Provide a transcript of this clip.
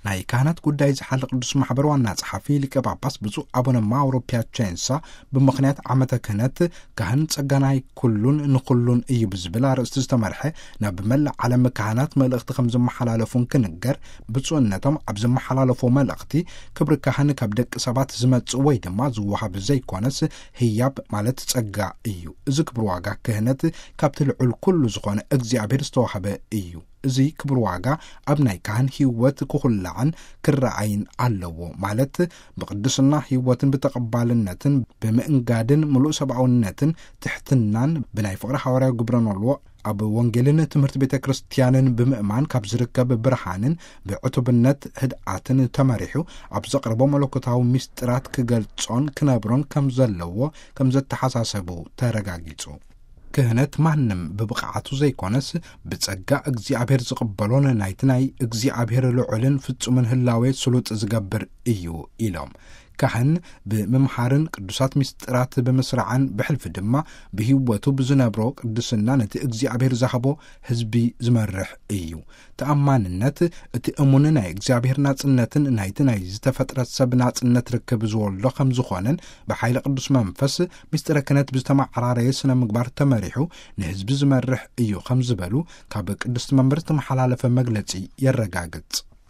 ናይ ካህናት ጉዳይ ዝሓል ቅዱስ ማሕበር ዋና ጸሓፊ ሊቀ ጳጳስ ብፁዕ ኣቡነ ማውሮ ፒያቸንሳ፣ ብምኽንያት ዓመተ ክህነት ካህን ጸጋናይ ኩሉን ንኹሉን እዩ ብዝብል ኣርእስቲ ዝተመርሐ ናብ መላእ ዓለም ካህናት መልእኽቲ ከም ዝመሓላለፉን ክንገር፣ ብፁዕነቶም ኣብ ዝመሓላለፎ መልእኽቲ፣ ክብሪ ካህን ካብ ደቂ ሰባት ዝመጽእ ወይ ድማ ዝወሃብ ዘይኮነስ ህያብ ማለት ጸጋ እዩ። እዚ ክብሪ ዋጋ ክህነት ካብቲ ልዑል ኩሉ ዝኾነ እግዚኣብሔር ዝተዋህበ እዩ። እዚ ክብሪ ዋጋ ኣብ ናይ ካህን ህይወት ክኹላዕን ክረኣይን ኣለዎ። ማለት ብቅድስና ህይወትን ብተቐባልነትን ብምእንጋድን ምሉእ ሰብኣውነትን ትሕትናን ብናይ ፍቕሪ ሃዋርያዊ ግብረ ኖልዎ ኣብ ወንጌልን ትምህርቲ ቤተ ክርስቲያንን ብምእማን ካብ ዝርከብ ብርሃንን ብዕቱብነት ህድኣትን ተመሪሑ ኣብ ዘቕርቦ መለኮታዊ ምስጢራት ክገልጾን ክነብሮን ከም ዘለዎ ከም ዘተሓሳሰቡ ተረጋጊጹ። ክህነት ማንም ብብቕዓቱ ዘይኮነስ ብጸጋ እግዚኣብሔር ዝቕበሎን ናይቲ ናይ እግዚኣብሔር ልዑልን ፍጹምን ህላዌ ስሉጥ ዝገብር እዩ ኢሎም። ካህን ብምምሃርን ቅዱሳት ምስጢራት ብምስራዕን ብሕልፊ ድማ ብህይወቱ ብዝነብሮ ቅድስና ነቲ እግዚኣብሔር ዝሃቦ ህዝቢ ዝመርሕ እዩ። ተኣማንነት እቲ እሙን ናይ እግዚኣብሔር ናጽነትን ናይቲ ናይ ዝተፈጥረት ሰብ ናጽነት ርክብ ዝወልዶ ከም ዝኾነን ብሓይሊ ቅዱስ መንፈስ ምስጢረ ክህነት ብዝተመዓራረየ ስነ ምግባር ተመሪሑ ንህዝቢ ዝመርሕ እዩ ከም ዝበሉ ካብ ቅድስቲ መንበር ዝተመሓላለፈ መግለጺ የረጋግጽ።